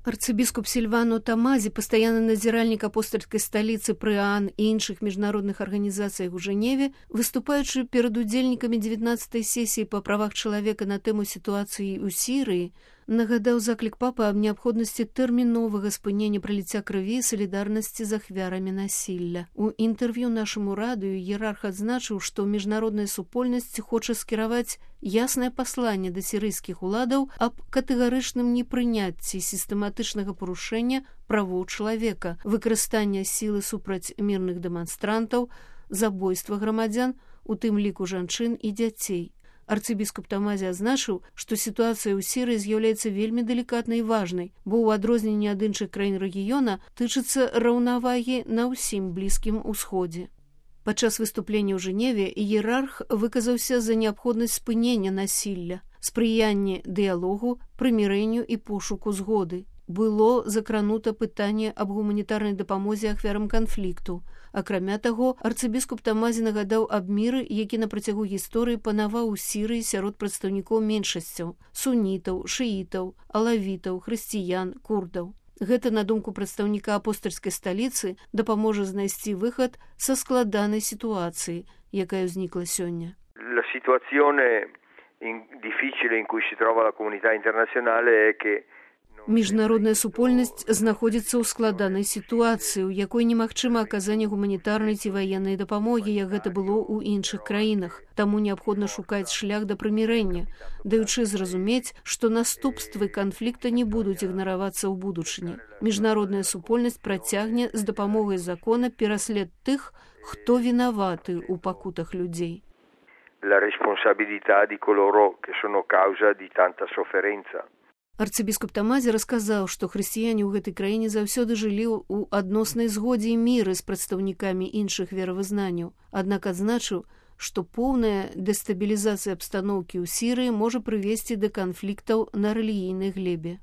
Арцыбіскуп Сильвано Тамази, постоянный назиральник апостольской столицы ПРИАН и іншых международных организаций у Женеве, выступаючи перед удзельнікамі 19-й сессии по правах человека на тему ситуации у Сирии, нагадаў заклік папы аб неабходнасці тэрміновага спынення праліцця крыві і салідарнасці з ахвярамі насілля. У інтэрв'ю нашаму радыё іерарх адзначыў, што міжнародная супольнасць хоча скіраваць яснае пасланне да сірыйскіх уладаў аб катэгарычным непрыняцці сістэматычнага парушэння правоў чалавека, выкарыстання сілы супраць мірных дэманстрантаў, забойства грамадзян, у тым ліку жанчын і дзяцей. Арцыбіскуп Тамази адзначыў, што сітуацыя ў Сірыі з'яўляецца вельмі далікатнай і важнай, бо ў адрозненні ад іншых краін рэгіёна тычыцца раўнавагі на ўсім Блізкім Усходзе. Падчас выступлення ў Жэневе іерарх выказаўся за неабходнасць спынення насілля, спрыяння дыялогу, прымірэнню і пошуку згоды. Было закранута пытанне аб гуманітарнай дапамозе ахвярам канфлікту. Акрамя таго, арцыбіскуп Тамази нагадаў аб міры, які на працягу гісторыі панаваў у Сірыі сярод прадстаўнікоў меншасцяў – сунітаў, шыітаў, алавітаў, хрысціян, курдаў. Гэта, на думку прадстаўніка апостольскай сталіцы, дапаможа знайсці выхад са складанай сітуацыі, якая ўзнікла сёння. La situazione difficile in cui si trova la comunità internazionale è che Міжнародная супольнасць знаходзіцца ў складанай сітуацыі, у якой немагчыма аказанне гуманітарнай ці ваеннай дапамогі, як гэта было ў іншых краінах. Таму неабходна шукаць шлях да прымірэння, даючы зразумець, што наступствы канфлікта не будуць ігнаравацца ў будучыні. Міжнародная супольнасць працягне з дапамогай закона пераслед тых, хто вінаваты ў пакутах людзей. La responsabilità di coloro che sono causa di tanta sofferenza. Арцыбіскуп Тамази расказаў, што хрысціяне ў гэтай краіне заўсёды жылі ў адноснай згодзе і міры з прадстаўнікамі іншых веравызнанняў. Аднак адзначыў, што поўная дэстабілізацыя абстаноўкі ў Сірыі можа прывесці да канфліктаў на рэлігійнай глебе.